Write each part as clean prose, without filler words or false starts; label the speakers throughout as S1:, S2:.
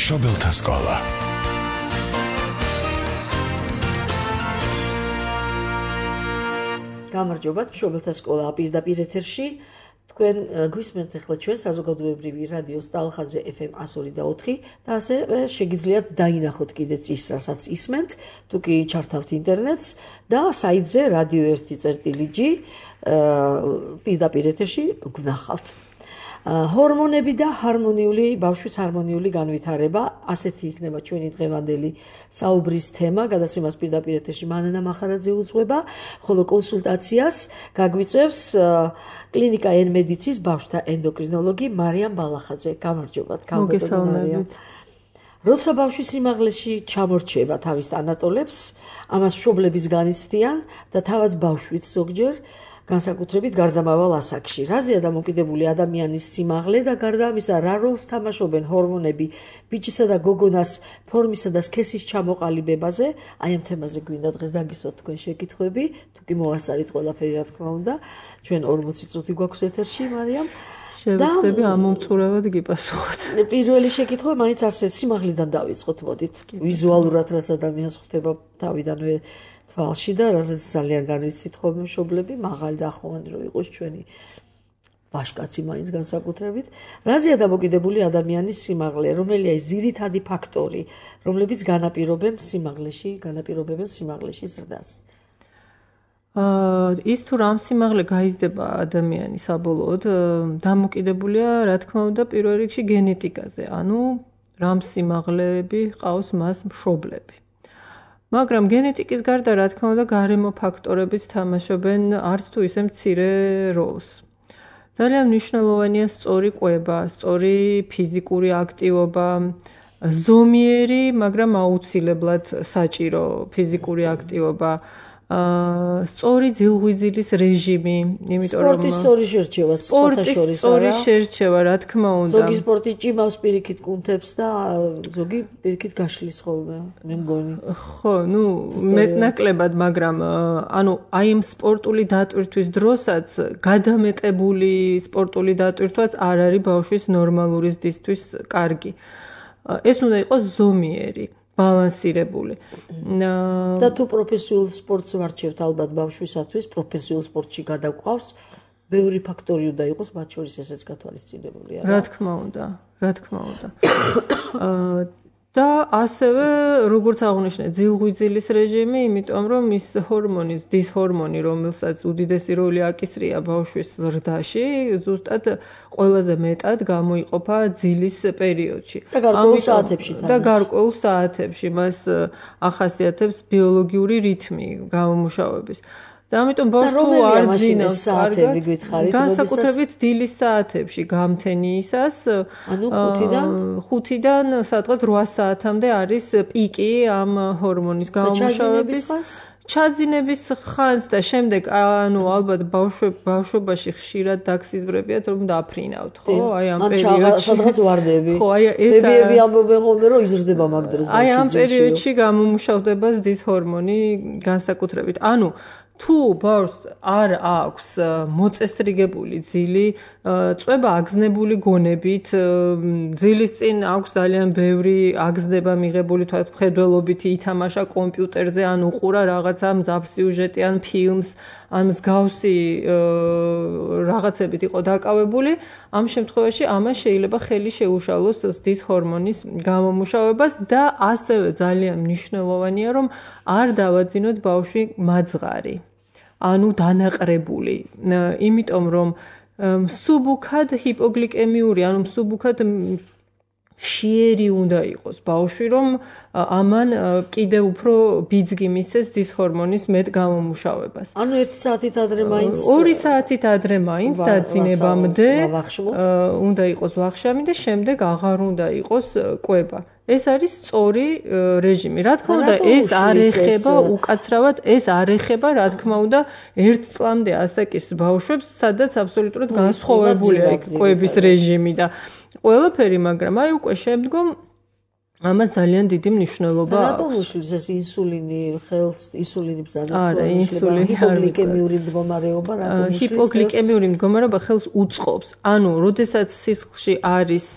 S1: მშობელთა სკოლა.
S2: გამარჯობათ, მშობელთა სკოლა პირდაპირ ეთერში. თქვენ გვისმენთ ახლა ჩვენ საზოგადოებრივი რადიოს ტალხაზე FM 102.4 და ასე შეგიძლიათ დაინახოთ კიდეც ის, რასაც ისმენთ, თუ კი ჩართავთ ინტერნეტს და საიტზე radio1.gr პირდაპირ ეთერში გვნახავთ. ჰორმონები და ჰარმონიული ბავშვის ჰარმონიული განვითარება, ასეთი იქნება ჩვენი დღევანდელი საუბრის თემა, გადაცემას პირდაპირ ეთერში მანანა მახარაძე უძღვება, ხოლო კონსულტაციას გაგვიწევს კლინიკა ენ-მედიცის ბავშვთა ენდოკრინოლოგი მარიამ ბალახაძე. გამარჯობათ,
S3: მოგესალმებით.
S2: როცა ბავშვი სიმაღლეში ჩამორჩება თავის ანატოლებს, ამას მშობლების განიცდიან და თავად ბავშვიც ზოგჯერ განსაკუთრებით გარდამავალ ასაკში. რაზეა დამოკიდებული ადამიანის სიმაღლე და გარდა ამისა, რა როლს თამაშობენ ჰორმონები ბიჭისა და გოგონას ფორმისა და სქესის ჩამოყალიბებაზე? აი ამ თემაზე გვინდა დღეს დაგისვათ თქვენ შეკითხვები, თუ კი მოვასწარით ყველაფერი, რა თქმა უნდა. ჩვენ 40 წუთი გვაქვს ეთერში, მარიამ.
S3: შევეცდები ამომწურავად გიპასუხოთ.
S2: პირველი შეკითხვა მაინც ასე სიმაღლიდან დავიწყოთ, მოდით. ვიზუალურად რაც ადამიანს ხვდება თავიდანვე თვალში და რასაც ძალიან განვიცით ხოლმე მშობლები, მაღალი და ახლოვანი რო იყოს ჩვენი ბაშკაცი მაინც განსაკუთრებით. რაზეა დამოკიდებული ადამიანის სიმაღლე, რომელია ის ძირითადი ფაქტორი, რომლებიც განაპირობებენ სიმაღლეში ზრდას?
S3: ის თუ რამ სიმაღლე გაიზრდება ადამიანი საბოლოოდ, დამოკიდებულია, რა თქმა უნდა, პირველ რიგში გენეტიკაზე, ანუ რამ სიმაღლეები ყავს მას მშობლები. მაგრამ გენეტიკის გარდა, რა თქმა უნდა, გარემო ფაქტორებიც თამაშობენ არც თუ ისე მცირე როლს. ძალიან მნიშვნელოვანია სწორი კვება, სწორი ფიზიკური აქტივობა, ზომიერი, მაგრამ აუცილებლად საჭირო ფიზიკური აქტივობა, სწორი ძილღვიძილის რეჟიმი, იმიტომ რომ
S2: სპორტის სწორი შერჩევა,
S3: სწორი შერჩევა, რა თქმა უნდა.
S2: ზოგი სპორტი ჭიმავს პირიქით კუნთებს და ზოგი პირიქით გაშლის ხოლმე, მე მგონი.
S3: ხო, მეტნაკლებად, მაგრამ ანუ აი ამ სპორტული დატვირთვის დროსაც გადამეტებული სპორტული დატვირთვაც არ არის ბავშვის ნორმალური ზრდისთვის კარგი. ეს უნდა იყოს ზომიერი. ბალანსირებული.
S2: და თუ პროფესიულ სპორტს ვარჩევთ ალბათ ბავშვისათვის, პროფესიულ სპორტში გადაგვყავს, ბევრი ფაქტორი უნდა იყოს, მათ შორის ესეც გათვალისწინებულია.
S3: რა თქმა უნდა. და ასევე, როგორც აღვნიშნე, ძილღვიძილის რეჟიმი, იმიტომ რომ ის ჰორმონის, დისჰორმონი, რომელსაც უდიდესი როლი აკისრია ბავშვის ზრდაში, ზუსტად ყველაზე მეტად გამოიყოფა ძილის პერიოდში.
S2: და გარკვეულ
S3: საათებში მას ახასიათებს ბიოლოგიური რითმი გამომუშავების. და ამიტომ ბავშვი თუ არ ძინავს
S2: საათები გითხარით,
S3: განსაკუთრებით დილის საათებში გამთენიისას,
S2: ანუ
S3: 5-დან სადღაც 8 საათამდე არის პიკი ამ ჰორმონის გამომუშავების. ჩაძინების ხანს და შემდეგ, ანუ ალბათ ბავშვობაში ხშირად დაგსიზმრებიათ, რომ დაფრინავთ, ხო? აი ამ პერიოდში.
S2: სადღაც ვარდები.
S3: ხო, აი ეს
S2: ბებიები ამბობენ ხოლმე, რომ იზრდება მაგ დროს ბავშვი.
S3: აი ამ პერიოდში გამომუშავდება ზრდის ჰორმონი განსაკუთრებით. ანუ თუ ბავშვს არ აქვს მოწესრიგებული ძილი, წვება აგზნებული გონებით, ძილის წინ აქვს ძალიან ბევრი აგზნება მიღებული თქვათ მხედველობითი, ითამაშა კომპიუტერზე, ან უყურა რაღაცა მძაფრ სიუჟეტიან ფილმს, ან მსგავსი რაღაცებით იყო დაკავებული, ამ შემთხვევაში ამას შეიძლება ხელი შეუშალოს ზრდის ჰორმონის გამომუშავებას და ასევე ძალიან მნიშვნელოვანია, რომ არ დავაძინოთ ბავშვი მაძღარი. ანუ დანაყრებული, იმიტომ რომ მსუბუქად ჰიპოგლიკემიური, ანუ მსუბუქად შიერი უნდა იყოს ბავშვი, რომ ამან კიდევ უფრო ბიძგი მისცეს დისჰორმონის მეტ გამომუშავებას.
S2: ანუ 1 საათით ადრე მაინც
S3: 2 საათით ადრე მაინც დაძინებამდე უნდა იყოს ვახშამი და შემდეგ აღარ უნდა იყოს კვება. ეს არის სწორი რეჟიმი. რა თქმა უნდა, ეს არ ეხება უკაცრავად, ეს არ ეხება, რა თქმა უნდა, 1 წლამდე ასაკის ბავშვებს, სადაც აბსოლუტურად განსხვავებულია კვების რეჟიმი და ყველაფერი, მაგრამ აი უკვე შემდგომ ამას ძალიან დიდი მნიშვნელობა აქვს.
S2: რატომ უშლის ეს ინსულინი ხელს ინსულინი ბრძანა?
S3: არა, ინსულინი
S2: ჰიპოგლიკემიური მდგომარეობა რატომ უშლის?
S3: ჰიპოგლიკემიური მდგომარეობა ხელს უწყობს. ანუ, როდესაც სისხლში არის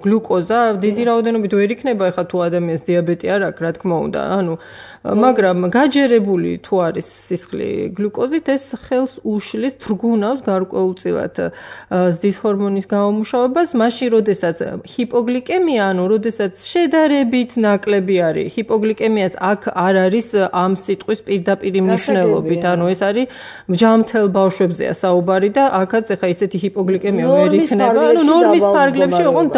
S3: გლუკოზა, დიდი რაოდენობით ვერ იქნება ეხლა თუ ადამიანს დიაბეტი არ აქვს, რა თქმა უნდა. ანუ, მაგრამ გაჯერებული თუ არის სისხლი გლუკოზით, ეს ხელს უშლის, თრგუნავს გარკვეულწილად ზრდის ჰორმონის გამომუშავებას, მაშინ როდესაც ჰიპოგლიკემია, ანუ როდესაც შედარებით ნაკლები არის. ჰიპოგლიკემიას აქ არ არის ამ სიტყვის პირდაპირი მნიშვნელობით, ანუ ეს არის ჯამთელ ბავშვებზეა საუბარი და აქაც ეხა ისეთი ჰიპოგლიკემია ვერ იქნება, ანუ ნორმის ფარგლებში ოღონდ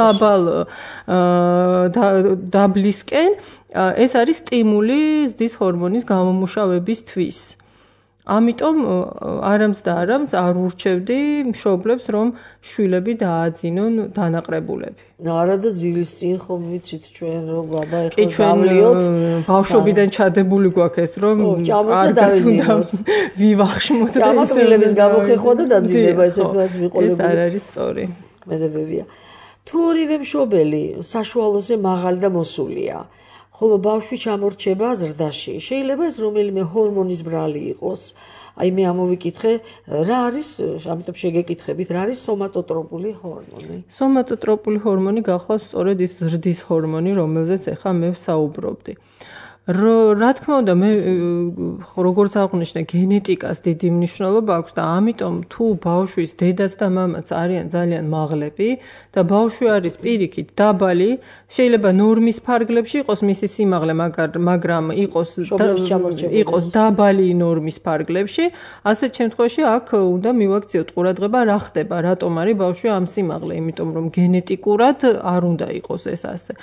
S3: დაბლისკენ ეს არის სტიმული ზრდის ჰორმონის გამომუშავებისთვის. ამიტომ არამც და არამც არ ურჩევდი მშობლებს, რომ შვილები დააძინონ დანაყრებულები.
S2: არა და ძილის წინ ხომ ვიცით ჩვენ რომ აბა ეხლა გავლიოთ
S3: ბავშვობიდან ჩადებული გვაქვს ეს რომ კარგად უნდა ვივახშმოთ და
S2: ჭამაკვილების გამოხეხვა და დაძინება ესეთაც მიყოლებული.
S3: ეს არ არის სწორი.
S2: მედებებია. თუ ორივე მშობელი საშუალოზე მაღალი და მოსულია, ხოლო ბავშვი ჩამორჩება ზრდაში. შეიძლება ეს რომელიმე ჰორმონის ბრალი იყოს. აი მე ამოვიკითხე, რა არის, ამიტომ შეგეკითხებით, რა არის სომატოტროპული ჰორმონი?
S3: სომატოტროპული ჰორმონი გახლავს სწორედ ის ზრდის ჰორმონი, რომელზეც ახლა მე ვსაუბრობდი. რა თქმა უნდა, მე როგორც აღვნიშნე, გენეტიკას დიდი მნიშვნელობა აქვს და ამიტომ თუ ბავშვის დედაც და მამაც არიან ძალიან მაღლები და ბავშვი არის პირიქით დაბალი, შეიძლება ნორმის ფარგლებში იყოს მისი სიმაღლე, მაგრამ იყოს დაბალი ნორმის ფარგლებში, ასეთ შემთხვევაში აქ უნდა მივაქციოთ ყურადღება, რა ხდება, რატომ არის ბავშვი ამ სიმაღლე, იმიტომ რომ გენეტიკურად არ უნდა იყოს ეს ასე.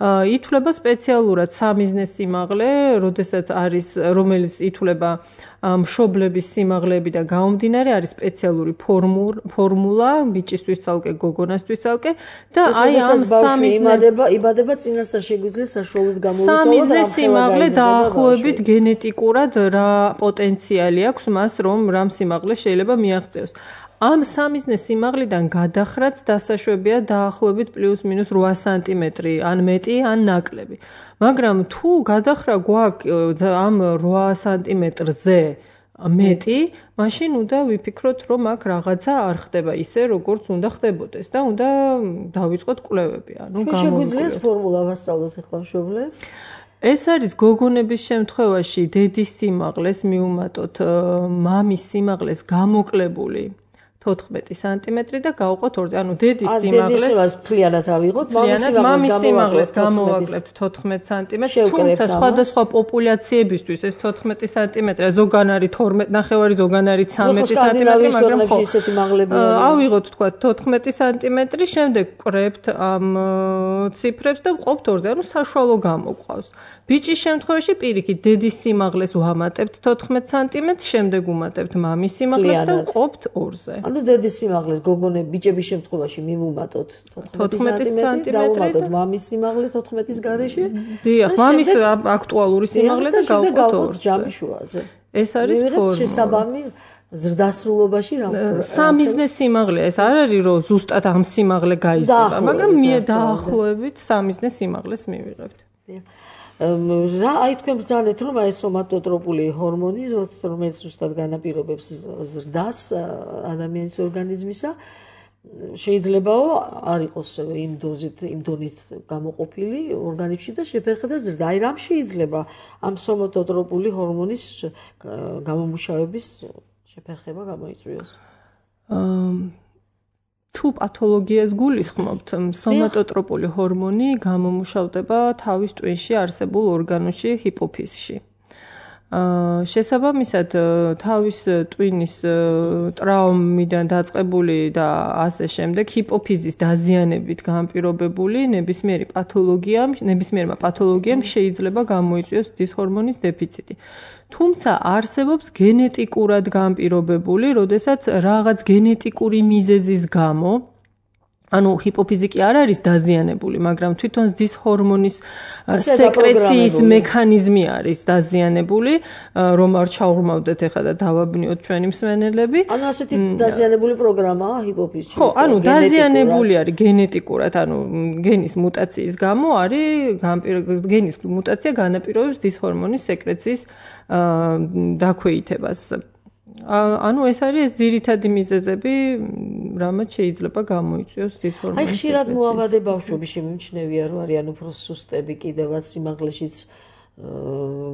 S3: ითვლება სპეციალურად სამიზნეს სიმაღლე, როდესაც არის, რომელიც ითვლება მშობლების სიმაღლეები და გამომდინარე არის სპეციალური ფორმულა ბიჭისთვის ცალკე, გოგონასთვის ცალკე და აი ამ
S2: იბადება წინასწარ შეგვიძლია საშუალოდ გამოვითვალოთ
S3: სამიზნეს სიმაღლე დაახლოებით გენეტიკურად რა პოტენციალი აქვს მას, რომ რამ სიმაღლე შეიძლება მიაღწიოს. ამ სამიზნეს სიმაღლიდან გადახრაც დასაშვებია დაახლოებით პლუს-მინუს 8 სანტიმეტრი, ან მეტი, ან ნაკლები. მაგრამ თუ გადახრა გვაქვს ამ 8 სანტიმეტრზე მეტი, მაშინ უნდა ვიფიქროთ, რომ აქ რაღაცა არ ხდება ისე, როგორც უნდა ხდებოდეს და უნდა დავიწყოთ კვლევები, ანუ
S2: შეგვიძლია ეს ფორმულა ვასწავლოთ ახლა მშობლებს?
S3: ეს არის გოგონების შემთხვევაში დედის სიმაღლეს მივუმატოთ მამის სიმაღლეს გამოკლებული 14 სანტიმეტრი და გავყოთ 2-ზე. ანუ დედის სიმაღლეს
S2: ფლიანად ავიღოთ,
S3: მამის სიმაღლეს გამოვაკლებთ 14 სანტიმეტრს, თუმცა სხვადასხვა პოპულაციებისთვის ეს 14 სანტიმეტრია, ზოგან არის 12.5, ზოგან არის 13 სანტიმეტრი, მაგრამ ხო
S2: ისეთი მაღლებია.
S3: ავიღოთ თქვა 14 სანტიმეტრი, შემდეგ ვკრებთ ამ ციფრებს და ვყოფთ 2-ზე, ანუ საშუალო გამოგვყავს. ბიჭის შემთხვევაში პირიქით დედის სიმაღლეს ვამატებთ 14 სანტიმეტრს, შემდეგ ვუმატებთ მამის სიმაღლეს და ვყოფთ 2-ზე.
S2: ანუ დედის სიმაღლეს გოგონები ბიჭების შემთხვევაში მივუმატოთ 14 სანტიმეტრი და ვუმატოთ მამის სიმაღლე 14-ის გარეშე.
S3: დიახ, მამის აქტუალური სიმაღლე და გავყოთ 2-ზე.
S2: ჯამის შუაზე.
S3: ეს არის ფორმა.
S2: შესაბამი ზრდასრულობაში რა
S3: სამიზნეს სიმაღლეა, ეს არ არის რომ ზუსტად ამ სიმაღლე გაიზრდება, მაგრამ დაახლოებით სამიზნეს სიმაღლეს მივიღებთ.
S2: რა აი თქვენ ბრძანეთ რომ აი სომატოტროპული ჰორმონი, რომელიც ზუსტად განაპირობებს ზრდას ადამიანის ორგანიზმისა, შეიძლებაო არ იყოს იმ დონით გამოყოფილი ორგანიზმში და შეფერხდა ზრდა. აი რამ შეიძლება ამ სომატოტროპული ჰორმონის გამომუშავების შეფერხება გამოიწვიოს?
S3: თუ პათოლოგიას გულისხმობთ, სომატოტროპული ჰორმონი გამომუშავდება თავის ტვინში არსებულ ორგანოში ჰიპოფიზში. შესაბამისად, თავის ტვინის ტრავმიდან დაწყებული და ასე შემდეგ ჰიპოფიზის დაზიანებით განპირობებული ნებისმიერმა პათოლოგიამ შეიძლება გამოიწვიოს ზრდის ჰორმონის დეფიციტი. თუმცა არსებობს გენეტიკურად განპირობებული, როდესაც რაღაც გენეტიკური მიზეზის გამო ანუ ჰიპოფიზიკი არ არის დაზიანებული, მაგრამ თვითონ ზრდის ჰორმონის სეკრეციის მექანიზმი არის დაზიანებული, რომ არ ჩაურმავდეთ ეხლა და დავაბნიოთ ჩვენი მსმენელები.
S2: ანუ ასეთი დაზიანებული პროგრამაა ჰიპოფიზში.
S3: ხო, ანუ დაზიანებული არის გენეტიკურად, ანუ გენის მუტაციის გამო არის გენის მუტაცია განაპირობებს ზრდის ჰორმონის სეკრეციის დაქვეითებას. ანუ ეს არის ძირითადი მიზეზები, რამაც შეიძლება გამოიწვიოს ზრდის ჰორმონის.
S2: აი ხშირად მოავადე ბავშვები შემიმჩნევია, რომ არიან უფრო სუსტები, კიდევაც სიმაღლეშიც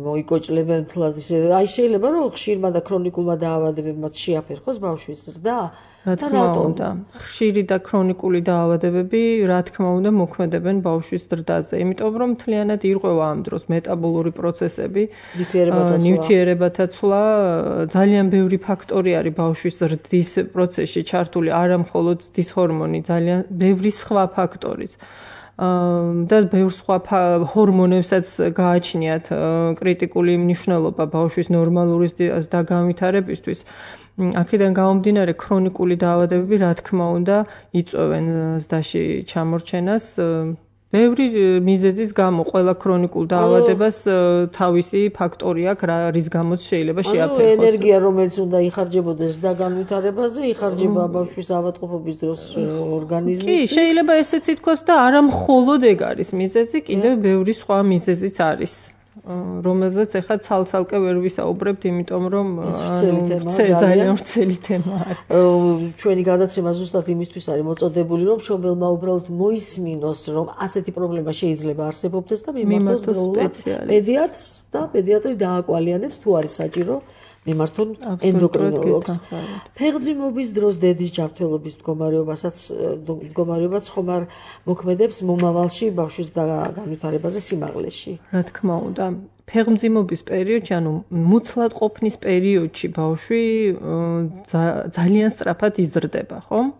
S2: მოიკოჭლებენ თლად ისე. აი შეიძლება რომ ხშირმა და ქრონიკულმა დაავადებებმა შეაფერხოს ბავშვის ზრდა?
S3: რა თქმა უნდა, ხშირი და ქრონიკული დაავადებები, რა თქმა უნდა, მოქმედებენ ბავშვის ზრდაზე, იმიტომ რომ მთლიანად ირღვევა ამ დროს მეტაბოლური პროცესები, ნივთიერებათა ცვლა, ძალიან ბევრი ფაქტორი არის ბავშვის ზრდის პროცესში ჩართული, არა მხოლოდ ზრდის ჰორმონი, ძალიან ბევრი სხვა ფაქტორიც. და ბევრ სხვა ჰორმონებსაც გააჩნიათ კრიტიკული მნიშვნელობა ბავშვის ნორმალური ზრდის განვითარებისთვის. აქედან გამომდინარე ქრონიკული დაავადებები, რა თქმა უნდა, იწვევენ ზრდაში ჩამორჩენას. ბევრი მიზეზის გამო ყველა ქრონიკულ დაავადებას თავისი ფაქტორი აქვს, რის გამოც შეიძლება შეაფერხოს.
S2: ენერგია, რომელიც უნდა იხარჯებოდეს ზრდა განვითარებაზე, იხარჯება ბავშვის ავადმყოფობის დროს ორგანიზმისთვის.
S3: კი, შეიძლება ესეც ითქვას და არა მხოლოდ ეგ არის მიზეზი, კიდევ ბევრი სხვა მიზეზიც არის. რომელზეც ახლა ცალ-ცალკე ვერ ვისაუბრებთ, იმიტომ რომ ძალიან ვრცელი თემაა.
S2: ჩვენი გადაცემა ზუსტად იმისთვის არის მოწოდებული, რომ მშობელმა უბრალოდ მოისმინოს, რომ ასეთი პრობლემა შეიძლება არსებობდეს და მიმართოს პედიატრს და პედიატრი დააკვალიანებს, თუ არის საჭირო მიმართონ ენდოკრინოლოგს. ფეხმძიმობის დროს დედის ჯანმრთელობის მდგომარეობაც ხომ არ მოქმედებს მომავალში ბავშვის განვითარებაზე სიმაღლეში.
S3: რა თქმა უნდა, ფეხმძიმობის პერიოდში, ანუ მუცლად ყოფნის პერიოდში ბავშვი ძალიან სწრაფად იზრდება, ხო?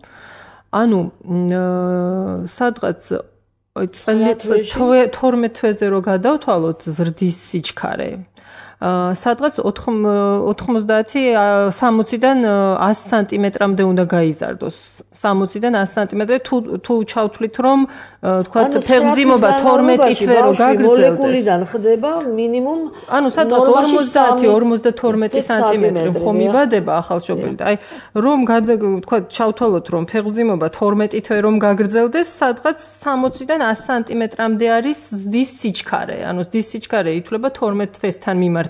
S3: ანუ სადღაც 12 თვეზე რო გადავთვალოთ ზრდის სიჩქარე, სადღაც 90-60-დან 100 სანტიმეტრამდე უნდა გაიზარდოს. 60-დან 100 სანტიმეტრამდე თუ ჩავთვლით რომ თქვა ფეხმძიმობა 12 თვე რო გაგრძელდეს.
S2: მოლეკულიდან ხდება მინიმუმ
S3: ანუ სადღაც 50-52 სანტიმეტრი ხომ იბადება ახალშობილი. აი რომ თქვა ჩავთვალოთ რომ ფეხმძიმობა 12 თვე რომ გაგრძელდეს, სადღაც 60-დან 100 სანტიმეტრამდე არის ზრდის სიჩქარე. ანუ ზრდის სიჩქარე ითვლება 12 თვესთან მიმართებაში.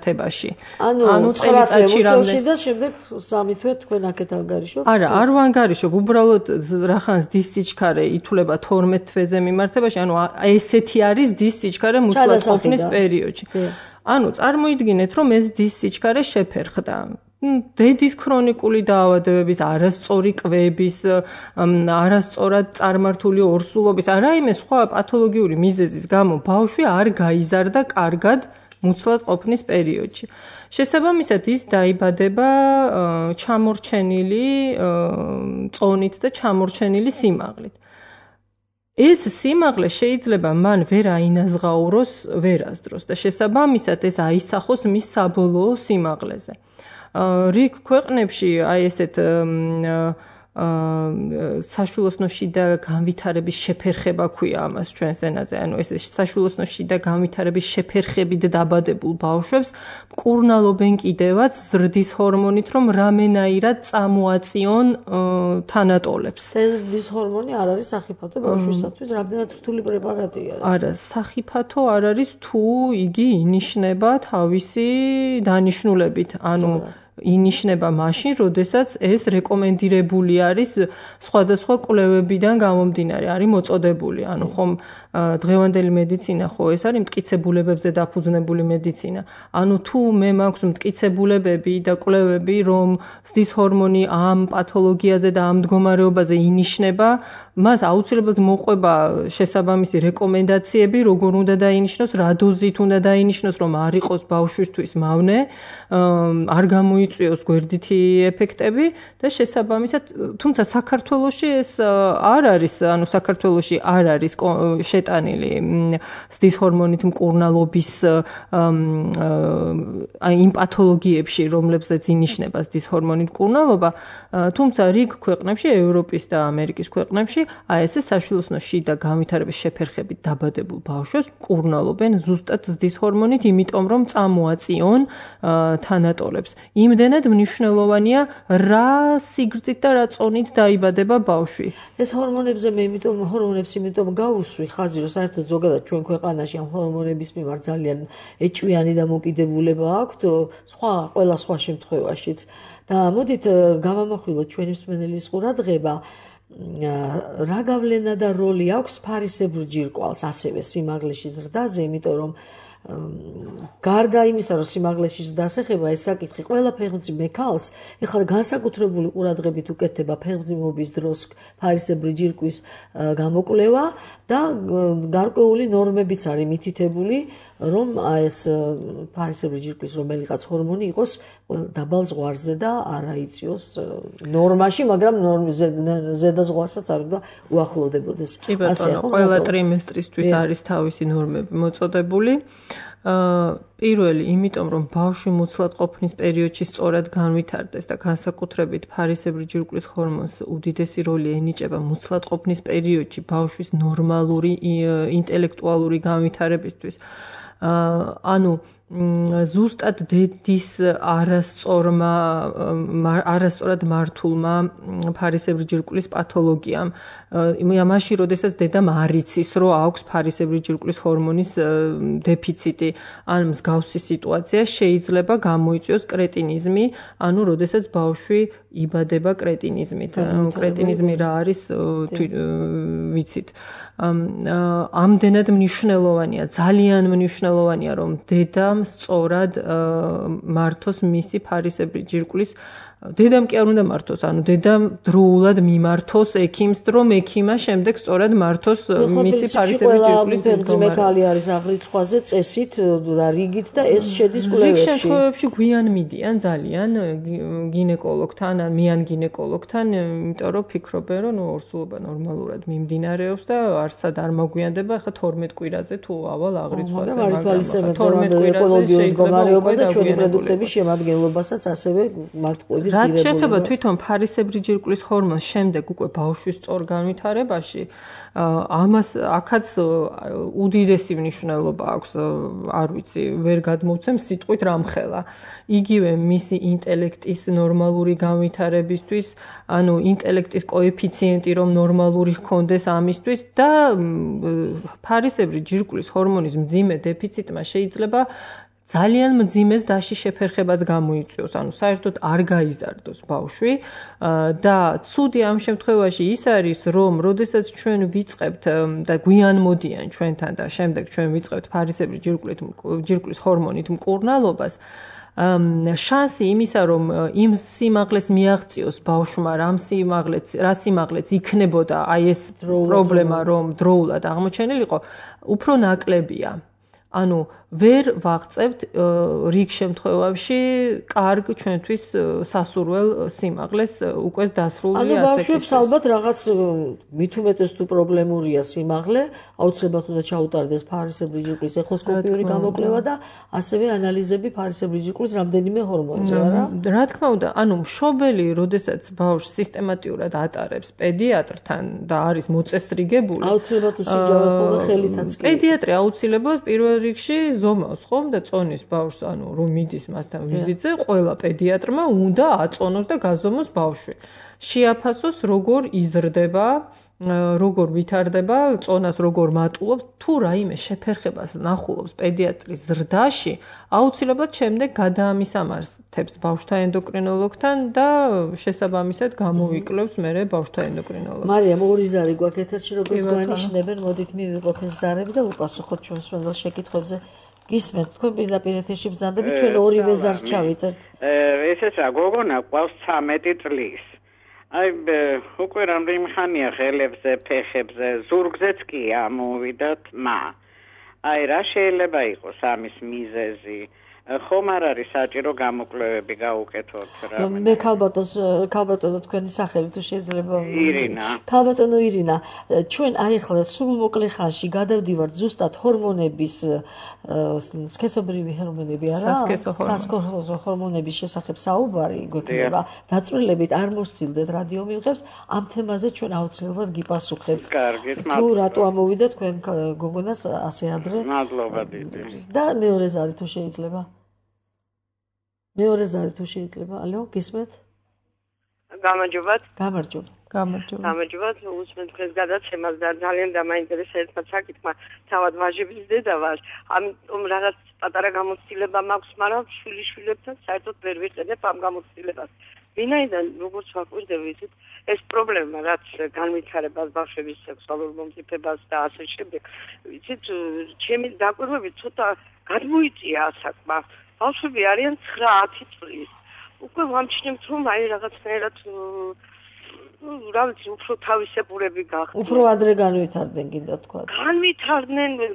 S2: ანუ წელიწადში რამდენი და შემდეგ 3 თვე თქვენ აქეთ ანგარიშობთ?
S3: არა, არ ვანგარიშობ, უბრალოდ რახან ზრდის სიჩქარე ითვლება 12 თვეზე მიმართებაში, ანუ ესეთი არის ზრდის სიჩქარე მუცლად ყოფნის პერიოდში. ანუ წარმოიდგინეთ, რომ ეს ზრდის სიჩქარე შეფერხდა. დედის ქრონიკული დაავადებების, არასწორი კვების, არასწორად წარმართული ორსულობის, რაიმე სხვა პათოლოგიური მიზეზის გამო ბავშვი არ გაიზარდა კარგად მუცლად ყოფნის პერიოდში. შესაბამისად ის დაიბადება ჩამორჩენილი წონით და ჩამორჩენილი სიმაღლით. ეს სიმაღლე შეიძლება მან ვერ აინაზღაუროს ვერასდროს და შესაბამისად ეს აისახოს მის საბოლოო სიმაღლეზე. რიგ ქვეყნებში აი ესეთ საშვილოსნო შიდა განვითარების შეფერხება ქვია ამას ჩვენს ენაზე. ანუ ეს საშვილოსნო შიდა განვითარების შეფერხებით დაბადებულ ბავშვებს მკურნალობენ კიდევაც ზრდის ჰორმონით, რომ რამენაირად წამოაწიონ თანატოლებს.
S2: ეს ზრდის ჰორმონი არ არის სახიფათო ბავშვისათვის, რამდენად რთული პრეპარატია.
S3: არა, სახიფათო არ არის თუ იგი ინიშნება თავისი დანიშნულებით. ანუ ინიშნება მაშინ, როდესაც ეს რეკომენდირებული არის სხვადასხვა კვლევებიდან გამომდინარე, არის მოწოდებული. ანუ ხომ დღევანდელი მედიცინა ხო ეს არის მტკიცებულებებზე დაფუძნებული მედიცინა. ანუ თუ მე მაქვს მტკიცებულებები და კვლევები, რომ ზრდის ჰორმონი ამ პათოლოგიაზე და ამ მდგომარეობაზე ინიშნება, მას აუცილებლად მოყვება შესაბამისი რეკომენდაციები, როგორ უნდა დაინიშნოს, რა დოზით უნდა დაინიშნოს, რომ არ იყოს ბავშვისთვის მავნე, არ გამოიწვიოს გვერდითი ეფექტები და შესაბამისად, თუმცა საქართველოში ეს არ არის, ანუ საქართველოში არ არის შეტანილი ზრდის ჰორმონით მკურნალობის იმ პათოლოგიებში, რომლებზეც ინიშნება ზრდის ჰორმონით მკურნალობა, თუმცა რიგ ქვეყნებში, ევროპის და ამერიკის ქვეყნებში, ესე საშვილოსნო შიდა განვითარების შეფერხებით დაბადებულ ბავშვებს მკურნალობენ ზუსტად ზრდის ჰორმონით, იმიტომ რომ წამოაწიონ თანატოლებს. იმდენად მნიშვნელოვანია რა სიგრძით და რა წონით დაიბადება ბავშვი.
S2: ეს ჰორმონებს იმიტომ გავუსვი ხაზი, რომ საერთოდ ზოგადად ჩვენ ქვეყანაში ამ ჰორმონების მიმართ ძალიან ეჭვიანი დამოკიდებულება აქვთ, ყველა სხვა შემთხვევაშიც. და მოდით გავამახვილოთ ჩვენი მსმენელის ყურადღება, რა გავლენა და როლი აქვს ფარისებრ ჯირკვალს ასევე სიმაღლეში ზრდაზე, იმიტომ რომ გარდა იმისა, რომ სიმაღლეში ზრდას ეხება ეს საკითხი ყველა ფეხმძიმე ქალს, ეხლა განსაკუთრებული ყურადღებით უკეთდება ფეხმძიმობის დროს ფარისებრი ჯირკვის გამოკვლევა და გარკვეული ნორმებიც არის მითითებული, რომ ეს ფარისებრი ჯირკვის რომელიღაც ჰორმონი იყოს დაბალ ზღვარზე და არა იწიოს ნორმაში, მაგრამ ზედა ზღვარსაც არ უნდა უახლოვდებოდეს.
S3: კი ბატონო, ყველა ტრიმესტრისთვის არის თავისი ნორმები მოწოდებული. პირველი, იმიტომ რომ ბავშვი მოცლად ყოფნის პერიოდში სწორად განვითარდეს და განსაკუთრებით ფარისებრი ჯირკვლის ჰორმონს უდიდესი როლი ენიჭება მოცლად ყოფნის პერიოდში ბავშვის ნორმალური ინტელექტუალური განვითარებისთვის. ანუ ზუსტად დედის არასწორად მართულმა ფარისებრი ჯირკვლის პათოლოგიამ, მაშინ როდესაც დედამ არ იცის, რომ აქვს ფარისებრი ჯირკვლის ჰორმონის დეფიციტი, ან მსგავსი სიტუაცია შეიძლება გამოიწვიოს კრეტინიზმი, ანუ როდესაც ბავშვი იბადება კრეტინიზმით. კრეტინიზმი რა არის, ვიცით. ამდენად მნიშვნელოვანია, ძალიან მნიშვნელოვანია, რომ დედამ სწორად მართოს მისი ფარისებრი ჯირკვლის დედამ კი არ უნდა მართოს, ანუ დედამ დროულად მიმართოს ექიმს, რომ ექიმა შემდეგ სწორად მართოს მისი ფარისებრი ჯირკვლის
S2: მდგომარეობა. ქალი არის აღრიცხვაზე წესით და რიგით და ეს შედის კვლევებში.
S3: რიგ შემთხვევებში გვიან მიდიან ძალიან გინეკოლოგთან, ან მიან გინეკოლოგთან, იმიტომ რომ ფიქრობენ, რომ ორსულობა ნორმალურად მიმდინარეობს და არსად არ მოგვიანდება, ახლა 12 კვირაზე თუ ავალ აღრიცხვაზე,
S2: მაგრამ 12 კვირაზე მდგომარეობაზე ჩვენი პროდუქტების შემადგენლობასაც ასევე მათყუები
S3: რაც შეეხება თვითონ ფარისებრი ჯირკვლის ჰორმონს შემდეგ უკვე ბავშვის სწორ განვითარებაში, ამას აქაც უდიდესი მნიშვნელობა აქვს, არ ვიცი, ვერ გადმოვცემ სიტყვით რამხელა. იგივე მისი ინტელექტის ნორმალური განვითარებისთვის, ანუ ინტელექტის კოეფიციენტი რომ ნორმალური ჰქონდეს ამისთვის და ფარისებრი ჯირკვლის ჰორმონის მძიმე დეფიციტმა შეიძლება ძალიან მძიმეს დაში შეფერხებას გამოიწვიოს, ანუ საერთოდ არ გაიზარდოს ბავშვი და ცუდი ამ შემთხვევაში ის არის, რომ როდესაც ჩვენ ვიწყებთ და გვიან მოდიან ჩვენთან და შემდეგ ჩვენ ვიწყებთ ფარისებრი ჯირკვლის ჰორმონით მკურნალობას, შანსი იმისა, რომ იმ სიმაღლეს მიაღწიოს ბავშვმა, რა სიმაღლეც იქნებოდა აი ეს პრობლემა, რომ დროულად აღმოჩენილიყო, უფრო ნაკლებია. ანუ ვერ ვაღწევთ რიგ შემთხვევებში კარგ ჩვენთვის სასურველ სიმაღლეს უკვე დასრული ასაკის.
S2: ანუ ბავშვებს ალბათ რაღაც მით უმეტეს თუ პრობლემურია სიმაღლე, აუცილებლად უნდა ჩაუტარდეს ფარისებრი ჯირკვლის ეხოსკოპიური გამოკვლევა და ასევე ანალიზები ფარისებრი ჯირკვლის რამდენიმე ჰორმონზე, არა?
S3: რა თქმა უნდა, ანუ მშობელი, როდესაც ბავშვს სისტემატიურად ატარებს პედიატრთან და არის მოწესრიგებული,
S2: აუცილებლად უსიჯავე ხოლმე ხელითაც კი.
S3: პედიატრი აუცილებლად პირველ რიგში ზომავს ხომ და წონის ბავშვს, ანუ რომ მიდის მასთან ვიზიტზე, ყველა პედიატრმა უნდა აწონოს და გაზომოს ბავშვი. შეაფასოს როგორ იზრდება, როგორ ვითარდება, წონას როგორ მატულობს, თუ რაიმე შეფერხებას ნახულობს პედიატრის ზრდაში, აუცილებლად შემდეგ გადაამისამართებს ბავშვთა ენდოკრინოლოგთან და შესაბამისად გამოვიკლევს მერე ბავშვთა ენდოკრინოლოგს.
S2: მარიამ, ორი ზარი გვაქვს ეთერში, როგორც გვანიშნებენ, მოდით მივიღოთ ეს ზარები და უპასუხოთ ჩვენს მეგობრებს შეკითხვებზე. გისმენთ, თქვენ პირდაპირ ეთერში ბრძანდებით, ჩვენ ორივე ზარს ჩავიწერთ.
S1: ესეც რა, გოგონა ყავს 13 წლის. აი უკვე რამდენი ხანია ხელებზე, ფეხებზე, ზურგზეც კი ამოვიდა თმა. აი რა შეიძლება იყოს ამის მიზეზი? ხომ არ არის საჭირო გამოკვლევები გაუკეთოთ რა.
S2: მე ქალბატონო თქვენი სახელი თუ შეიძლება.
S1: ირინა.
S2: ქალბატონო ირინა, ჩვენ აი ახლა სულ მოკლე ხანში გადავდივართ ზუსტად ჰორმონების სქესობრივი ჰორმონები არა? სასქესო ჰორმონების შესახებ საუბარი გვექნება. დაწვრილებით არ მოსცილდეთ რადიო მიღებს, ამ თემაზე ჩვენ აუცილებლად გიპასუხებთ.
S1: კარგი,
S2: თუ რატო ამოვიდა თქვენ გოგონას ასე ადრე?
S1: მადლობა დიდი.
S2: და მეორე ზარი თუ შეიძლება. მეორე ზარი თუ შეიძლება. ალო, გისმენთ?
S4: გამარჯობათ.
S3: გამარჯობა.
S4: უსმენ თქვენს გადაცემას და ძალიან დამაინტერესებთ საკითხმა. თავად ვაჟების დედა ვარ. ამიტომ რაღაც პატარა გამოცდილება მაქვს, მაგრამ შვილიშვილებთან საერთოდ ვერ ვიყენებ ამ გამოცდილებას. ვინაიდან როგორც ვაკვირდებით, ეს პრობლემა, რაც განვითარებას ბავშვების სექსუალურ მომწიფებას და ასე შემდეგ, ვიცით, ჩემი დაკვირვებით ცოტა გადმოიწია ასაკმა. ბავშვები არიან 9-10 წლის. უკვე ვამჩნევთ, რომ აი რაღაცნაირად რა ვიცი, უფრო თავისებურები გახდნენ.
S2: უფრო ადრე განვითარდნენ კიდე თქვა.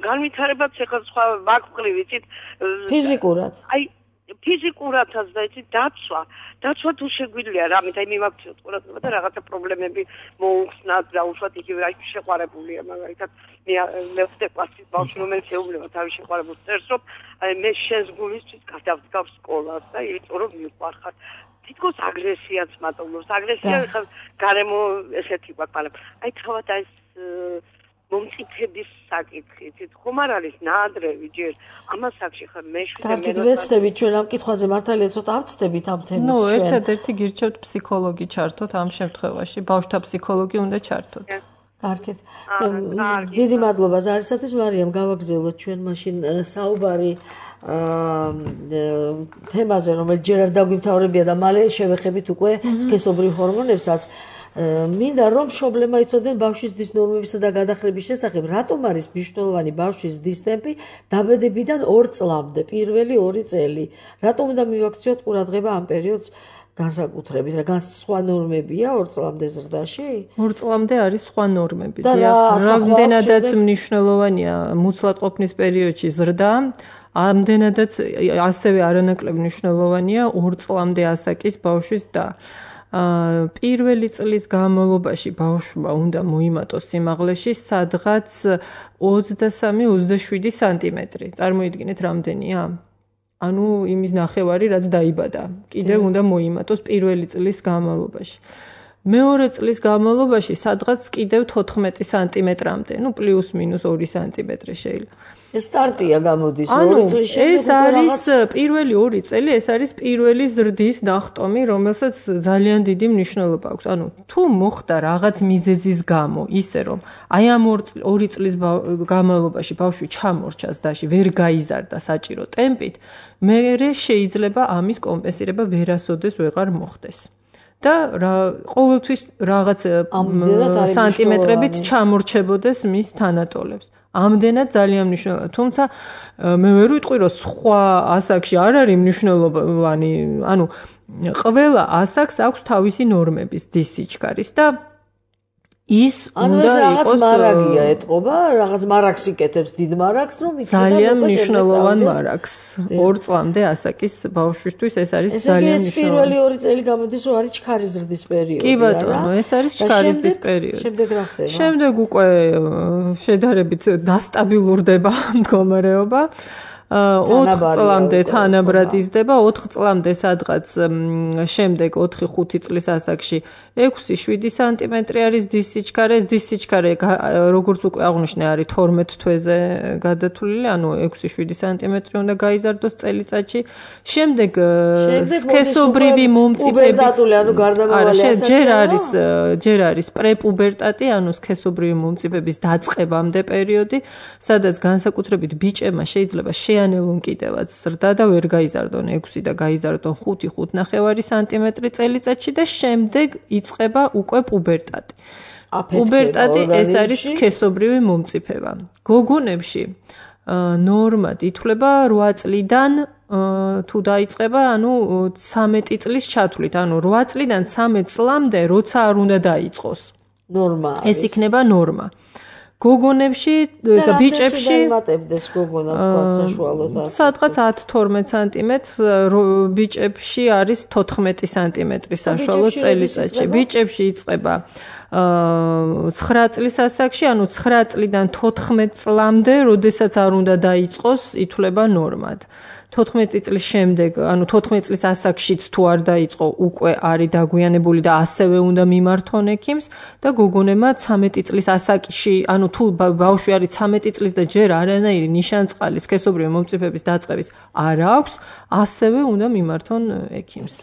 S4: განვითარებაც ეხლა სხვა ვაკვირი, ვიცით,
S2: ფიზიკურად.
S4: აი ფიზიკურადაც და იცით დაცვა თუ შეგვიძლია რამით აი მიმაქციოთ ყურადღება და რაღაცა პრობლემები მოუხსნათ და უშუალოდ იგივე აი შეყვარებულია მაგალითად მე ვხდე კლასის ბავშვი რომელიც ეუბნება თავის შეყვარებულს წერს რომ აი მე შენს გულისთვის გადავდგავ სკოლას და იმიტომ რომ მიყვარხარ თითქოს აგრესიაც მატულობს აგრესია ხა გარემო ესეთი გვაქვს მაგრამ აი თავად ეს მომწიფების საკითხით ხომ არ არის ნაადრევი ჯერ ამას აქში ხარ მეშვიდე
S2: კარგით ვეცდებით ჩვენ ამ კითხვაზე მართალია ცოტა ავწდებით ამ თემით
S3: ჩვენ ერთადერთი გირჩევთ ფსიქოლოგი ჩართოთ ამ შემთხვევაში ბავშვთა ფსიქოლოგი უნდა ჩართოთ
S2: კარგით დიდი მადლობა ზარისათვის მარიამ გავაგრძელოთ ჩვენ მაშინ საუბარი თემაზე რომელიც ჯერ არ დაგვიმთავრებია და მალე შევეხებით უკვე სქესობრივ ჰორმონებსაც მინდა რომ პრობლემა იცოდნენ ბავშვის დის ნორმებისა და გადახრების შესახებ რატომ არის მნიშვნელოვანი ბავშვის დის ტემპი დაბადებიდან 2 წლამდე პირველი 2 წელი რატომ უნდა მივაქციოთ ყურადღება ამ პერიოდს განსაკუთრებით რა სხვა ნორმებია 2 წლამდე ზრდაში
S3: 2 წლამდე არის სხვა ნორმები რამდენადაც მნიშვნელოვანია მუცლადყოფნის პერიოდში ზრდა ამდენადაც ასევე არანაკლებ მნიშვნელოვანია 2 წლამდე ასაკის ბავშვის და პირველი წლის განმავლობაში ბავშვმა უნდა მოიმატოს სიმაღლეში სადღაც 23-27 სანტიმეტრი. წარმოიდგინეთ რამდენია? ანუ იმის ნახევარი რაც დაიბადა. კიდევ უნდა მოიმატოს პირველი წლის განმავლობაში. მეორე წლის განმავლობაში სადღაც კიდევ 14 სანტიმეტრამდე, ну პლუს მინუს 2 სანტიმეტრი შეიძლება.
S2: ეს სტარტია გამოდის 2 წლის შემდეგ.
S3: ეს არის პირველი 2 წელი, ეს არის პირველი ზრდის ნახტომი, რომელსაც ძალიან დიდი მნიშვნელობა აქვს. ანუ თუ მოხდა რაღაც მიზეზის გამო, ისე რომ აი ამ 2 წლის განმავლობაში ბავშვი ჩამორჩას დაში, ვერ გაიზარდა საჭირო ტემპით, მერე შეიძლება ამის კომპენსირება ვერასოდეს ვეღარ მოხდეს. და ყოველთვის რაღაც სანტიმეტრებით ჩამორჩებოდეს მის თანატოლებს. ამდენად ძალიან მნიშვნელოვანია. თუმცა მე ვერ ვიტყვი რომ სხვა ასაკში არ არის მნიშვნელოვანი, ანუ ყველა ასაკს აქვს თავისი ნორმების დის სიჩქარის და ის უნდა
S2: იყოს მარაგია ეტყობა, რაღაც მარაგს იკეთებს დიდ მარაგს, რომ იქნება
S3: ძალიან მნიშვნელოვან მარაგს. 2 წლამდე ასაკის ბავშვისთვის ეს არის ძალიან მნიშვნელოვანი.
S2: ეს პირველი 2 წელი გამოდის, რომ არის ჩქარის ზრდის პერიოდი.
S3: კი ბატონო, ეს არის ჩქარის ზრდის პერიოდი.
S2: შემდეგ რა ხდება?
S3: შემდეგ უკვე შედარებით დასტაბილურდება მდგომარეობა. 4 წლამდე თანაბრად იზრდება, 4 წლამდე სადღაც შემდეგ 4-5 წლის ასაკში 6-7 სანტიმეტრი არის დის სიჩქარე. ეს დის სიჩქარე როგორც უკვე აღნიშნე არის 12 თვეზე გადათვლილი, ანუ 6-7 სანტიმეტრი უნდა გაიზარდოს წელიწადში. შემდეგ სქესობრივი მომწიფების ჯერ არის პრეპუბერტატი, ანუ სქესობრივი მომწიფების დაწყებამდე პერიოდი, სადაც განსაკუთრებით ბიჭებმა შეიძლება შეანელონ კიდევაც ზრდა და ვერ გაიზარდონ 6 და გაიზარდონ 5-5.5 სანტიმეტრი წელიწადში და შემდეგ იწყება უკვე პუბერტატი. პუბერტატი ეს არის სქესობრივი მომწიფება. გოგონებში ნორმად ითვლება 8 წლიდან თუ დაიწყება, ანუ 13 წლის ჩათვლით, ანუ 8 წლიდან 13 წლამდე როცა არ უნდა დაიწყოს.
S2: ნორმა.
S3: ეს იქნება ნორმა. გოგონებში და ბიჭებში
S2: იმატებდეს გოგონა თქვა საშუალოდ
S3: სადღაც 10-12 სანტიმეტრს, ბიჭებში არის 14 სანტიმეტრი საშუალო წელიწადში. ბიჭებში იწყება 9 წლის ასაკში, ანუ 9 წლიდან 14 წლამდე, როდესაც არ უნდა დაიწყოს, ითვლება ნორმად. 14 წლის შემდეგ, ანუ 14 წლის ასაკშიც თუ არ დაიწყო, უკვე არის დაგვიანებული და ასევე უნდა მიმართონ ექიმს და გოგონებმა 13 წლის ასაკში, ანუ თუ ბავშვი არის 13 წლის და ჯერ არანაირი ნიშანწყალი სქესობრივი მომწიფების დაწყების არ აქვს, ასევე უნდა მიმართონ ექიმს.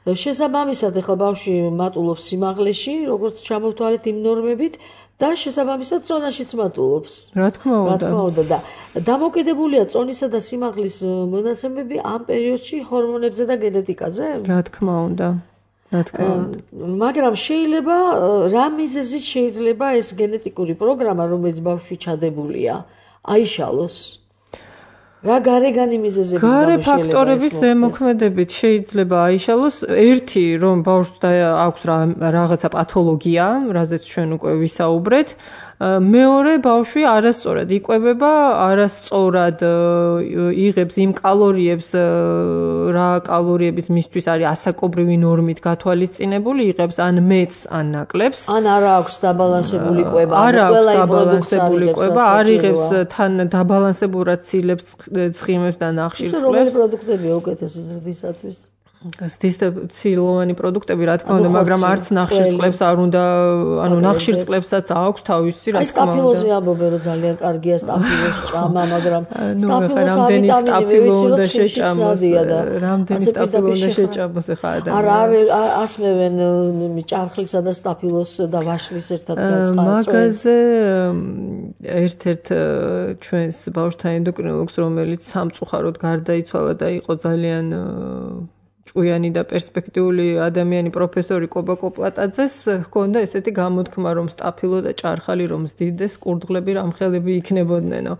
S2: შესაბამისად, ახლა ბავშვი მატულობს სიმაღლეში, როგორც ჩამოვთვალეთ იმ ნორმებით და შესაბამისად წონაშიც მატულობს.
S3: რა თქმა უნდა.
S2: და დამოკიდებულია წონისა და სიმაღლის მონაცემები ამ პერიოდში ჰორმონებზე და გენეტიკაზე?
S3: რა თქმა უნდა.
S2: მაგრამ შეიძლება რა მიზეზით შეიძლება ეს გენეტიკური პროგრამა, რომელიც ბავშვი ჩადებულია, აიშალოს? რა გარეგანი მიზეზების გამო
S3: გარე ფაქტორების ზემოქმედებით შეიძლება აიშალოს. ერთი, რომ ბავშვს აქვს რაღაცა პათოლოგია, რაზეც ჩვენ უკვე ვისაუბრეთ. მეორე, ბავშვი არასწორად იკვებება, არასწორად იღებს იმ კალორიებს, რა კალორიების მისთვის არის ასაკობრივი ნორმით გათვალისწინებული, იღებს ან მეც, ან ნაკლებს.
S2: ან არ აქვს დაბალანსებული კვება,
S3: არ აქვს დაბალანსებული კვება, არ იღებს თან დაბალანსებურად ცილებს, ცხიმებს და ნახშირწყლებს.
S2: რომელი პროდუქტებია უკეთესი ზრდისათვის?
S3: ცილოვანი პროდუქტები, რა თქმა უნდა, მაგრამ არც ნახშირწყლებს არ უნდა, ანუ ნახშირწყლებსაც აქვს თავისი, რა თქმა უნდა.
S2: სტაფილოზი ამბობენ, რომ ძალიან კარგია სტაფილოს ჭამა, მაგრამ
S3: რამდენი სტაფილო უნდა შეჭამოს, რამდენი სტაფილო უნდა შეჭამოს ახლა ადამიანს.
S2: ასმევენ ჭარხლისა და სტაფილოს და ვაშლის ერთად გაწყალს.
S3: მაგაზე ერთ-ერთ ჩვენს ბავშვთა ენდოკრინოლოგს, რომელიც სამწუხაროდ გარდაიცვალა და იყო ძალიან ჭუიანი და პერსპექტიული ადამიანი პროფესორი კობა კოპლატაძეს ჰქონდა ესეთი გამოთქმა, რომ სტაფილო და ჭარხალი რომ ზდიდეს, კურდღლები რამხელები იქნებოდნენო.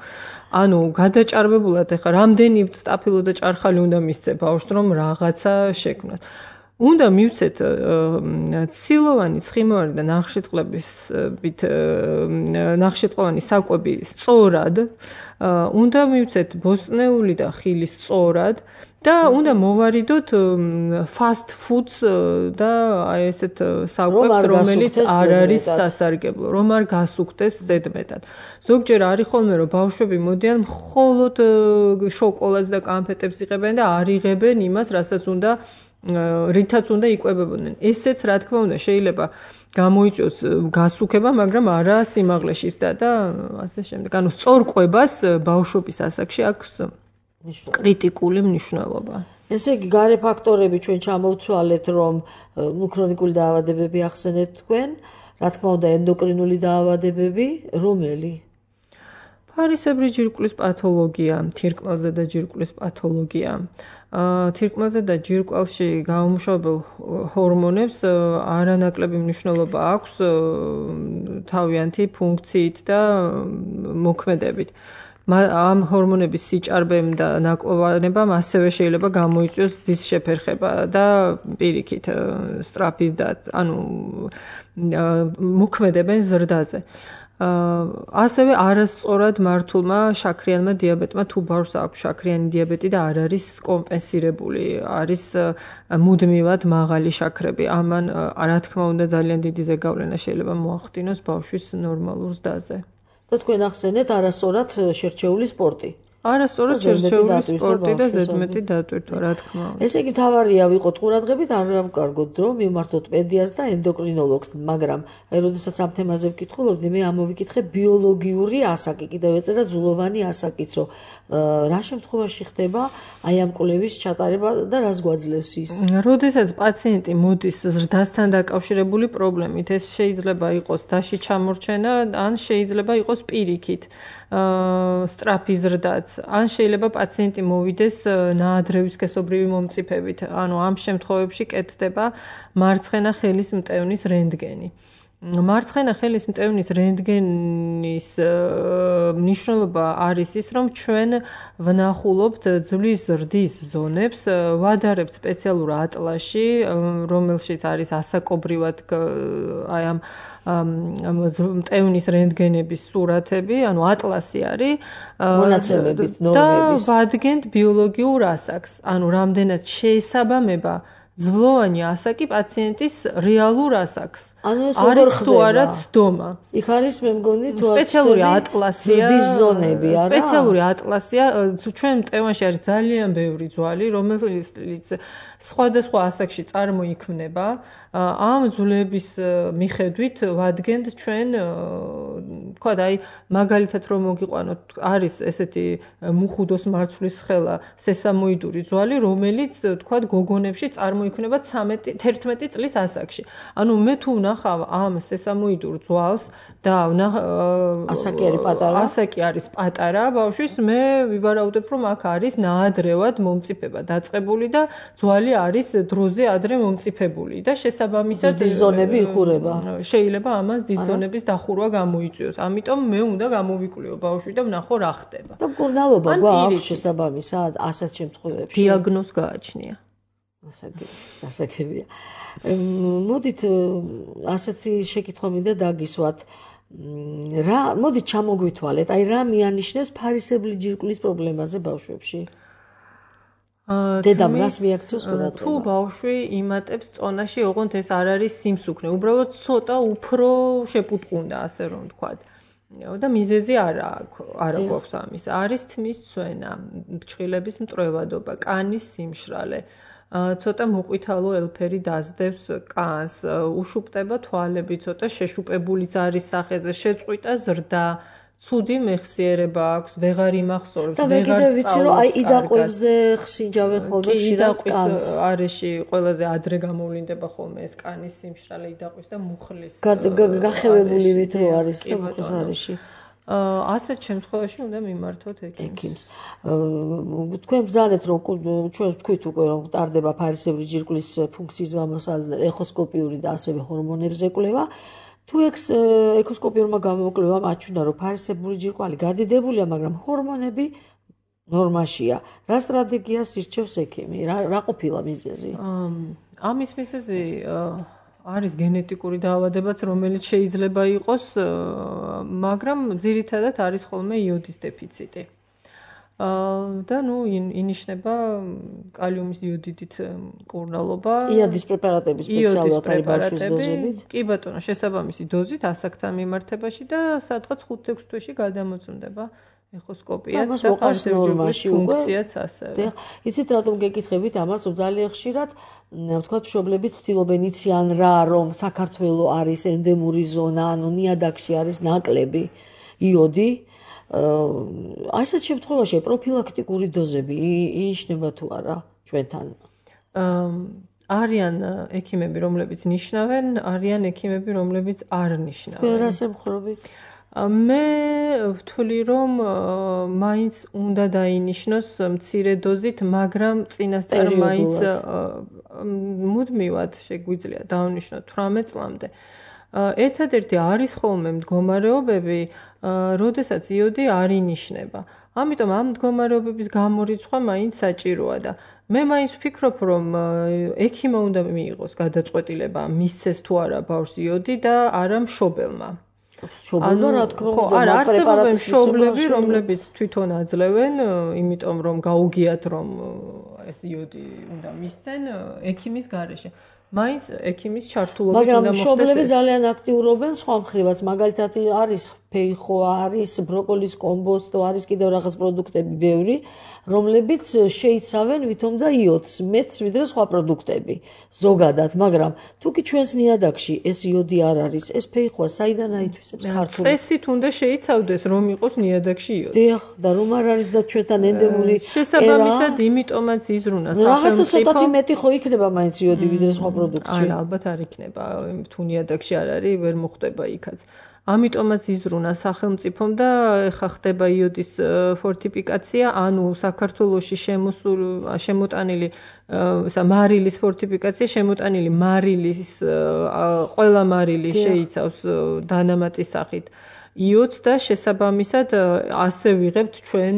S3: ანუ გადაჭარბებულად ახლა რამდენი სტაფილო და ჭარხალი უნდა მისცე ბავშვს, რომ რაღაცა შექმნას. უნდა მივცეთ ცილოვანი, ცხიმოვანი და ნახშირწყლოვანი საკვები სწორად, უნდა მივცეთ ბოსტნეული და ხილი სწორად და უნდა მოვარიდოთ fast foods და აი ესეთ საკვებს, რომელიც არ არის სასარგებლო, რომ არ გასუქდეს ზედმეტად. ზოგჯერ არის ხოლმე, რომ ბავშვები მოდიან მხოლოდ შოკოლადს და კანფეტებს იღებენ და არ იღებენ იმას, რასაც უნდა რითაც უნდა იკვებებოდნენ. ესეც რა თქმა უნდა შეიძლება გამოიწვიოს გასუქება, მაგრამ არა სიმაღლეში და ასე შემდეგ. ანუ სწორ კვებას ბავშვობის ასაკში აქვს კრიტიკული მნიშვნელობა.
S2: ესე იგი, გარე ფაქტორები ჩვენ ჩამოვთვალეთ, რომ ქრონიკული დაავადებები ახსენეთ თქვენ, რა თქმა უნდა ენდოკრინული დაავადებები, რომელი?
S3: ფარისებრი ჯირკვლის პათოლოგია, თირკმელზე და ჯირკვლის პათოლოგია. თირკმელზე და ჯირკვალში გამომუშავებელ ჰორმონებს არანაკლები მნიშვნელობა აქვს თავიანთი ფუნქციით და მოქმედებით. ამ ჰორმონების სიჭარბემ და ნაკლოვანებამ ასევე შეიძლება გამოიწვიოს ძის შეფერხება და პირიქით სწრაფის და ანუ მოქმედებენ ზრდაზე. ასევე არასწორად მართულმა შაქრიანმა დიაბეტმა თუ ბავშვს აქვს შაქრიანი დიაბეტი და არ არის კომპენსირებული, არის მუდმივად მაღალი შაქრები. ამან რა თქმა უნდა ძალიან დიდი ზეგავლენა შეიძლება მოახდინოს ბავშვის ნორმალურ ზრდაზე.
S2: და თქვენ ახსენეთ არასწორად შერჩეული სპორტი.
S3: არასწორად შერჩეული სპორტი და ზედმეტი დატვირთვა, რა თქმა უნდა.
S2: ესე იგი თავარია ვიყოთ ყურადღებით, არ გავკარგოთ დრო, მივმართოთ პედიატრს და ენდოკრინოლოგს, მაგრამ აი როდესაც ამ თემაზე ვკითხულობდი, მე ამოვიკითხე ბიოლოგიური ასაკი, კიდევ ეწერა ზულოვანი ასაკიც, რომ რა შემთხვევაში ხდება აი ამ კვლევის ჩატარება და რას გვაძლევს ის?
S3: როდესაც პაციენტი მოდის ზრდასთან დაკავშირებული პრობლემით, ეს შეიძლება იყოს დაში ჩამორჩენა, ან შეიძლება იყოს პირიქით. სწრაფი ზრდაც, ან შეიძლება პაციენტი მოვიდეს ნაადრევის სქესობრივი მომწიფებით. ანუ ამ შემთხვევებში კეთდება მარცხენა ხელის მტევნის რენტგენი. მარცხენა ხელის მტევნის რენტგენის მნიშვნელობა არის ის, რომ ჩვენ ვნახულობთ ძვლის ზრდის ზონებს, ვადარებთ სპეციალურ ატლასში, რომელშიც არის ასაკობრივად აი ამ მტევნის რენტგენების სურათები, ანუ ატლასი არის
S2: მონაცემებით, ნორმების.
S3: და ვადგენთ ბიოლოგიურ ასაკს, ანუ რამდენად შეესაბამება ძვლოვანი ასაკი პაციენტის რეალურ ასაკს.
S2: ანუ ეს
S3: არის თუ არა ცდომა.
S2: იქ არის მე მგონი თუ
S3: სპეციალური ატლასია,
S2: ზრდის ზონები, არა?
S3: სპეციალური ატლასია, ჩვენ მტევანში არის ძალიან ბევრი ძვალი, რომელიც სხვადასხვა ასაკში წარმოიქმნება. ამ ძვლების მიხედვით ვადგენთ ჩვენ, თქვა და აი მაგალითად რომ მოგიყვანოთ, არის ესეთი მუხუდოს მარცვლის ხელა სესამოიდური ძვალი, რომელიც თქვა გოგონებში წარმოიქმნება 11 წლის ასაკში. ანუ მე თუ ვნახავ ამ სესამოიდურ ძვალს და
S2: ასაკი არის პატარა.
S3: ასაკი არის პატარა ბავშვის, მე ვივარაუდებ, რომ აქ არის ნაადრევად მომწიფება დაწყებული და ძვალი არის დროზე ადრე მომწიფებული და შესაბამისად
S2: დიზონები იხურება.
S3: შეიძლება ამას დიზონების დახურვა გამოიწვიოს. ამიტომ მე უნდა გამოვიკვლიო ბავშვი და ვნახო რა ხდება.
S2: და მკურნალობა გვაქვს შესაბამისად ასეთ შემთხვევებში.
S3: დიაგნოზ გააჩნია.
S2: ასაკებია. მოდით ასეთი შეკითხვა მინდა დაგისვათ. მოდით ჩამოგვითვალეთ, აი რა მიანიშნებს ფარისებრი ჯირკვლის პრობლემაზე ბავშვებში? დედამ რას მიაქციოს ყურადღება?
S3: თუ ბავშვი იმატებს წონაში, ოღონდ ეს არ არის სიმსუქნე, უბრალოდ ცოტა უფრო შეპუტყუნდა, ასე რომ ვთქვათ. და მიზეზი არა გვაქვს ამის. არის თმის ცვენა, ფრჩხილების მტრევადობა, კანის სიმშრალე. ცოტა მოყვითალო ელფერი დასდევს კანს, უშუპტება თვალები, ცოტა შეშუპებულიც არის სახეზე, შეწყვიტა ზრდა, ცუდი მეხსიერება აქვს, ვეღარ იმახსოვრებს,
S2: და მე კიდევ ვიცი რომ აი იდაყვებზე ხსინჯავენ ხოლმე ხშირად კანს.
S3: არეში ყველაზე ადრე გამოვლინდება ხოლმე ეს კანის სიმშრალე იდაყვის და მუხლის.
S2: გახევებული ვით რო არის და მუხლის არეში.
S3: ასეთ შემთხვევაში უნდა მიმართოთ ექიმს.
S2: თქვენ ბრძანეთ რომ ჩვენ ვთქვით უკვე რომ ტარდება ფარისებრი ჯირკვლის ფუნქციის გამოსალე ეხოსკოპიური და ასევე ჰორმონებზე კვლევა. თუ ეხოსკოპიურმა გამოკვლევამ აჩვენა რომ ფარისებრი ჯირკვალი გადიდებულია, მაგრამ ჰორმონები ნორმაშია. რა სტრატეგიას ირჩევს ექიმი? რა ყოფილა მიზეზი?
S3: ამის მიზეზი არის გენეტიკური დაავადებაც, რომელიც შეიძლება იყოს, მაგრამ ძირითადად არის ხოლმე იოდის დეფიციტი. და ინიშნება კალიუმის იოდიდით მკურნალობა.
S2: იოდის პრეპარატების სპეციალურად არის ბავშვის დოზებით?
S3: კი ბატონო, შესაბამისი დოზით ასაკთან მიმართებაში და სადღაც 5-6 თვეში გადამოწმდება ეხოსკოპიაც და ფარისებრი ფუნქციაც ასევე.
S2: იცით რატომ გეკითხებით ამას, რომ ძალიან ხშირად ვთქვათ მშობლები ცდილობენ იციან რა, რომ საქართველო არის ენდემური ზონა, ანუ ნიადაგში არის ნაკლები იოდი. აი ესეთ შემთხვევაში პროფილაქტიკური დოზები ინიშნება თუ არა ჩვენთან?
S3: არიან ექიმები, რომლებიც ნიშნავენ, არიან ექიმები, რომლებიც არ ნიშნავენ.
S2: თქვენ რას ემხრობით?
S3: მე ვთვლი, რომ მაინც უნდა დაინიშნოს მცირე დოზით, მაგრამ წინასწარ მაინც მუდმივად შეგვიძლია დავნიშნოთ 18 წლამდე. ერთადერთი არის ხოლმე მდგომარეობები, როდესაც იოდი არ ინიშნება. ამიტომ ამ მდგომარეობების გამორიცხვა მაინც საჭიროა და მე მაინც ვფიქრობ, რომ ექიმმა უნდა მიიღოს გადაწყვეტილება, მისცეს თუ არა ბავშვს იოდი და არა მშობელმა.
S2: მშობელმა რა თქმა უნდა,
S3: არა, არსებობენ მშობლები, რომლებიც თვითონ აძლევენ, იმიტომ რომ გაუგიათ, რომ ეს იოდი უნდა მისცენ ექიმის გარეშე. მაინც ექიმის ჩართულობით უნდა მოხდეს.
S2: მაგრამ მშობლები ძალიან აქტიურობენ სხვა მხრივაც, მაგალითად არის ფეიხო, არის ბროკოლის კომბოსტო, არის კიდევ რაღაც პროდუქტები ბევრი, რომლებიც შეიცავენ ვითომ და იოდს, მეც ვიდრე სხვა პროდუქტები ზოგადად, მაგრამ თუ კი ჩვენს ნიადაგში ეს იოდი არ არის, ეს ფეიხოა საიდან აითვისებს ქართული?
S3: წესით უნდა შეიცავდეს, რომ იყოს ნიადაგში იოდი.
S2: დიახ, და რომ არ არის და ჩვენთან ენდემური
S3: შესაბამისად, იმიტომაც იზრუნა სახელმწიფო.
S2: რაღაცა ცოტათი მეტი ხო იქნება მაინც იოდი ვიდრე სხვა პროდუქტში?
S3: არა, ალბათ არ იქნება, თუ ნიადაგში არ არის, ვერ მოხვდება იქაც. ამიტომაც იზრუნა სახელმწიფომ და ეხა ხდება იოდის ფორტიფიკაცია, ანუ საქართველოში შემოტანილი მარილის ფორტიფიკაცია, შემოტანილი მარილის ყველა მარილი შეიცავს დანამატის სახით იოდს და შესაბამისად ასე ვიღებთ ჩვენ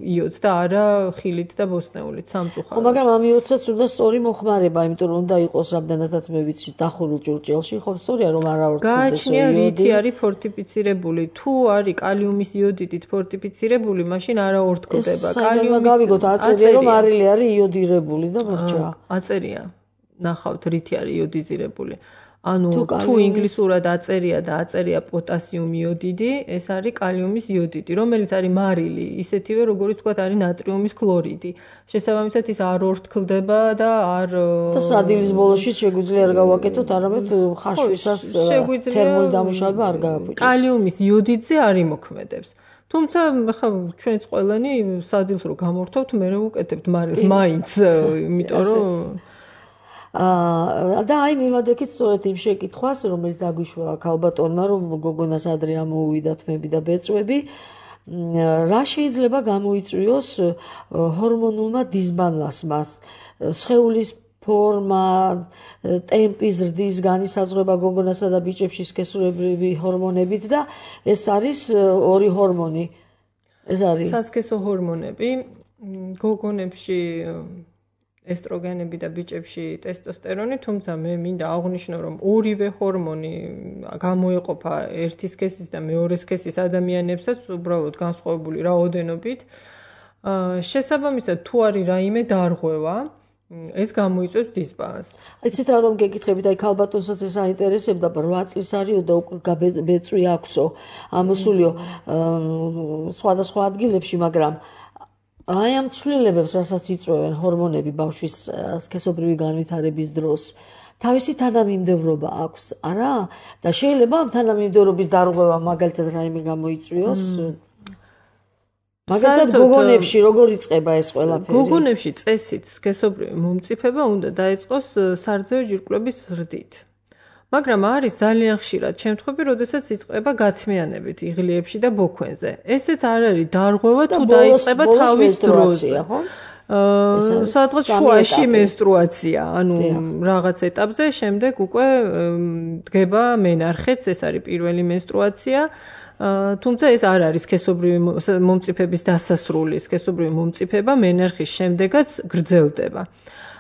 S3: იოდს და არა ხილით და ბოსტნეულით სამწუხაროდ.
S2: ხო, მაგრამ ამ იოდსაც უნდა სწორი მოხმარება, იმიტომ რომ უნდა იყოს რამდენადაც მე ვიცი დახურულ ჭურჭელში, ხო, სწორია რომ არა ორთქლდეს იოდი.
S3: გააჩნია რითი არის ფორტიფიცირებული. თუ არის კალიუმის იოდიდით ფორტიფიცირებული, მაშინ არა ორთქლდება.
S2: კალიუმის გავიგოთ აწერია რომ მარილი არის იოდირებული და მოხჭა.
S3: აწერია. ნახავთ რითი არის იოდიზირებული. ანუ თუ ინგლისურად აწერია და აწერია პოტასიუმ იოდიდი, ეს არის კალიუმის იოდიდი, რომელიც არის მარილი, ისეთივე როგორც თქვა არის ნატრიუმის ქლორიდი. შესაბამისად ის არ ორთქლდება და არ
S2: და სადილის ბოლოში შეგვიძლია არ გავაკეთოთ, არამედ ხაშვისას თერმული დამუშავება არ გააგვიჭირს.
S3: კალიუმის იოდიდზე არ იმოქმედებს. თუმცა ხა ჩვენც ყველანი სადილს რო გამორთვებთ, მე ვუკეთებთ მარილს მაინც, იმიტომ რომ
S2: და აი მივადექით სწორედ იმ შეკითხვას, რომელიც დაგვიშველა ქალბატონმა, რომ გოგონას ადრე ამოუვიდა თმები და ბეწვები, რა შეიძლება გამოიწვიოს ჰორმონულმა დისბალანსმა, სხეულის ფორმა, ტემპი, ზრდის განისაზღვრება გოგონასა და ბიჭებში სქესურებრივი ჰორმონებით და ეს არის ორი ჰორმონი. ეს არის
S3: სასქესო ჰორმონები, გოგონებში ესტროგენები და ბიჭებში ტესტოსტერონი, თუმცა მე მინდა აღვნიშნო, რომ ორივე ჰორმონი გამოეყოფა ერთი სქესის და მეორე სქესის ადამიანებსაც უბრალოდ განსხვავებული რაოდენობით. შესაბამისად, თუ არის რაიმე დარღვევა, ეს გამოიწვევს დისბალანსს.
S2: იცით რატომ გეკითხებით, აი ქალბატონსაც ეს აინტერესებდა, 8 წლის არისო და უკვე ბეწვი აქვსო, ამოსულიო სხვადასხვა ადგილებში, მაგრამ აი ამ ცვლილებებს, რასაც იწვევენ ჰორმონები ბავშვის სქესობრივი განვითარების დროს, თავისი თანამიმდევრობა აქვს, არა? და შეიძლება ამ თანამიმდევრობის დარღვევა მაგალითად რაიმე გამოიწვიოს? მაგალითად გოგონებში როგორ იწყება ეს ყველაფერი?
S3: გოგონებში წესით სქესობრივი მომწიფება უნდა დაიწყოს სარძეო ჯირკვლების ზრდით. მაგრამ არის ძალიან ხშირად შემთხვევები, როდესაც იწყება გათმიანებით იღლიებში და ბოქვენზე. ესეც არ არის დარღვევა თუ დაიწყება თავის დროზე. სადღაც შუაში მენსტრუაცია, ანუ რაღაც ეტაპზე, შემდეგ უკვე დგება მენარხეც, ეს არის პირველი მენსტრუაცია. თუმცა ეს არ არის სქესობრივი მომწიფების დასასრული, სქესობრივი მომწიფება მენარხის შემდეგაც გრძელდება.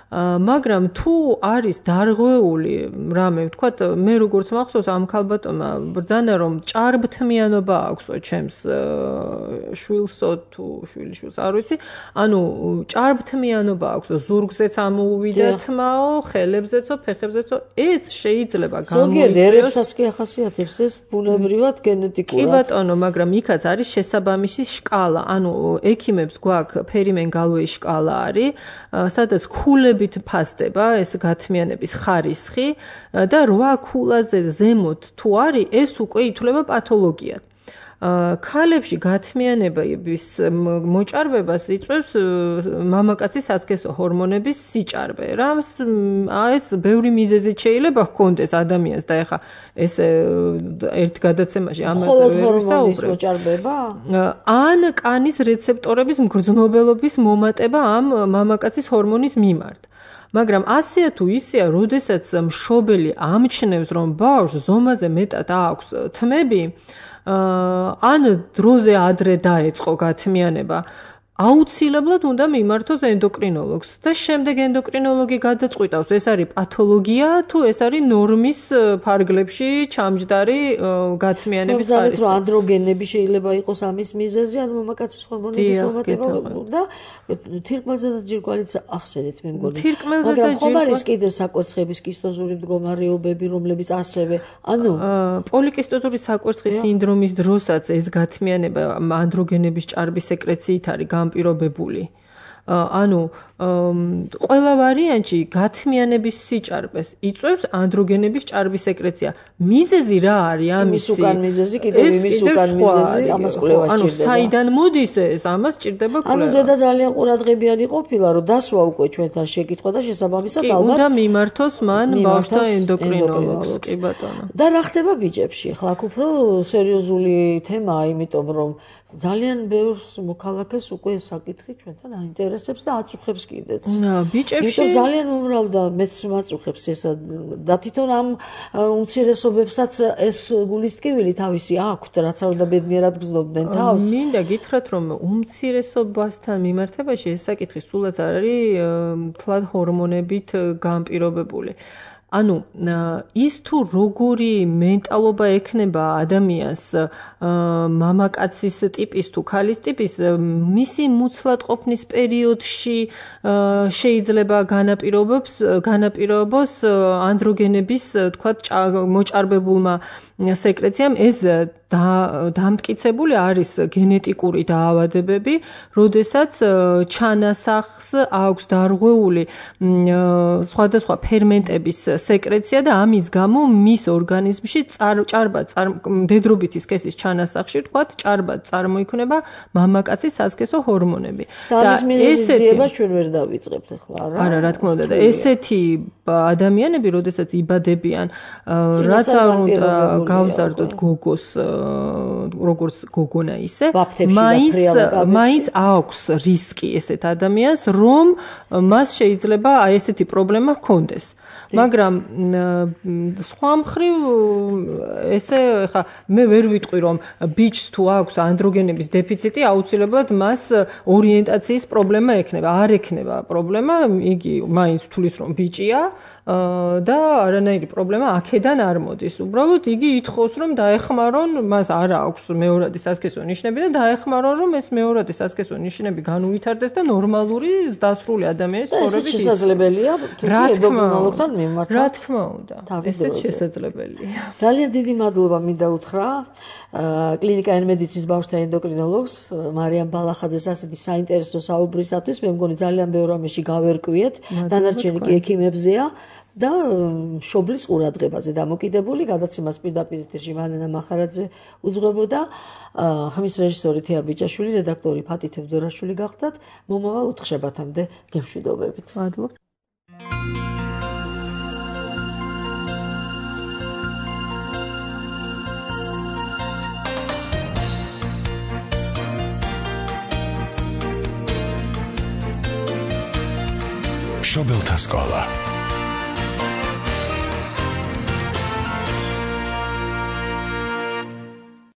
S3: მაგრამ თუ არის დარღვეული რამე, ვთქვათ, მე როგორც მახსოვს ამ ქალბატონმა ბრძანა რომ ჭარბთმიანობა აქვსო ჩემს შვილსო თუ შვილიშვილს არ ვიცი, ანუ ჭარბთმიანობა აქვსო, ზურგზეც ამოუვიდა თმაო, ხელებზეცო, ფეხებზეცო, ეს შეიძლება გამოიწვიოს.
S2: ზოგიერთ ერებსაც კი ახასიათებს ეს ბუნებრივად გენეტიკურად.
S3: კი ბატონო, მაგრამ იქაც არის შესაბამისი შკალა, ანუ ექიმებს გვაქვს ფერიმენ-გალოის შკალა არის, სადაც ქულები ფასდება ეს გათმიანების ხარისხი და 8 ქულაზე ზემოთ თუ არის, ეს უკვე ითვლება პათოლოგიად. ქალებში გათმიანების მოჭარბებას იწვევს მამაკაცის სასქესო ჰორმონების სიჭარბე. რამს ეს ბევრი მიზეზით შეიძლება ჰქონდეს ადამიანს და ეხა ეს ერთ გადაცემაში ამაზე ვერ ვისაუბრებ.
S2: მოჭარბება?
S3: ან კანის რეცეპტორების მგრძნობელობის მომატება ამ მამაკაცის ჰორმონის მიმართ. მაგრამ ასეა თუ ისეა, როდესაც მშობელი ამჩნევს, რომ ბავშვს ზომაზე მეტად აქვს თმები, ან დროზე ადრე დაეწყო გათმიანება, აუცილებლად უნდა მიმართოს ენდოკრინოლოგს და შემდეგ ენდოკრინოლოგი გადაწყვიტავს, ეს არის პათოლოგია თუ ეს არის ნორმის ფარგლებში ჩამჯდარი გათმიანების ხარისხი.
S2: რომ ანდროგენები შეიძლება იყოს ამის მიზეზი, ან მამაკაცის ჰორმონების მომატება და თირკმელზე და ჯირკვალიც ახსენეთ მე მგონი. მაგრამ ხომ არის კიდევ საკვერცხების კისტოზური მდგომარეობები, რომლებიც ასევე, ანუ
S3: პოლიკისტოზური საკვერცხის სინდრომის დროსაც ეს გათმიანება ანდროგენების ჭარბის სეკრეციით არის განპირობებული. ანუ ყველა ვარიანტში გათმიანების სიჭარბეს იწვევს ანდროგენების ჭარბის სეკრეცია. მიზეზი რა არის ამის?
S2: იმის უკან მიზეზი, კიდევ იმის უკან მიზეზი, ამას კვლევა სჭირდება.
S3: ანუ საიდან მოდის ეს? ამას სჭირდება კვლევა.
S2: ანუ დედა ძალიან ყურადღებიანი ყოფილა, რომ დასვა უკვე ჩვენთან შეკითხვა და შესაბამისად ალბათ
S3: უნდა მიმართოს მან ბავშვთა ენდოკრინოლოგს, კი ბატონო.
S2: და რა ხდება ბიჭებში? ხლა აქ უფრო სერიოზული თემაა, იმიტომ რომ ძალიან ბევრს მოქალაქეს უკვე ეს საკითხი ჩვენთან აინტერესებს და აწუხებს კიდეც.
S3: ბიჭებში
S2: ძალიან მომრალ და მეც მაწუხებს ესა და თვითონ ამ უმცირესობებსაც ეს გულისტკივილი თავისი აქვთ, რაც არ უნდა ბედნიერად გრძნობდნენ თავს.
S3: მინდა გითხრათ, რომ უმცირესობასთან მიმართებაში ეს საკითხი სულაც არ არის თლად ჰორმონებით განპირობებული. ანუ ის თუ როგორი მენტალობა ექნება ადამიანს მამაკაცის ტიპის თუ ქალის ტიპის მისი მუცლად ყოფნის პერიოდში შეიძლება განაპირობოს ანდროგენების თქვათ მოჭარბებულმა სეკრეციამ ეს დამტკიცებული არის გენეტიკური დაავადებები, როდესაც ჩანასახს აქვს დარღვეული სხვადასხვა ფერმენტების სეკრეცია და ამის გამო მის ორგანიზმში დედრობითი სქესის ჩანასახში თქვათ ჭარბად წარმოიქმნება მამაკაცის სასქესო ჰორმონები.
S2: და ამის მიზეზიებას ჩვენ ვერ დავიწყებთ ახლა რა?
S3: არა, რა თქმა უნდა და ესეთი ადამიანები, როდესაც იბადებიან, რაც არ უნდა გავზარდოთ გოგოს როგორც გოგონა ისე, მაინც აქვს რისკი ესეთ ადამიანს, რომ მას შეიძლება აი ესეთი პრობლემა ჰქონდეს. მაგრამ სხვა მხრივ ესე ხა მე ვერ ვიტყვი რომ ბიჭს თუ აქვს ანდროგენების დეფიციტი აუცილებლად მას ორიენტაციის პრობლემა ექნება. არ ექნება პრობლემა, იგი მაინც თulis რომ ბიჭია და არანაირი პრობლემა აქედან არ მოდის. უბრალოდ იგი ითხოვს რომ დაეხმარონ, მას არ აქვს მეორადი სასქესო ნიშნები და დაეხმარონ რომ ეს მეორადი სასქესო ნიშნები განუვითარდეს და ნორმალური დასრული ადამიანის ცხოვრებით
S2: ის შესაძლებელია თუ ენდოკრინოლოგთან მიმართოთ.
S3: რა თქმა უნდა. ესეც შესაძლებელია.
S2: ძალიან დიდი მადლობა მინდა უთხრა კლინიკა N-Medicine-ის ბავშვთა ენდოკრინოლოგს მარიამ ბალახაძეს ასეთი საინტერესო საუბრისათვის. მე მგონი ძალიან ბევრ რამეში გავერკვიეთ, დანარჩენი კი ექიმებზეა. და მშობლის ყურადღებაზე დამოკიდებული გადაცემას პირდაპირ ეთერში მანენა მახარაძე უძღვებოდა. ხმის რეჟისორი თეა ბიჭაშვილი, რედაქტორი ფათი თევდორაშვილი გახდათ. მომავალ უთხშებათამდე გემშვიდობებით.
S3: მადლობა.
S5: მშობელთა სკოლა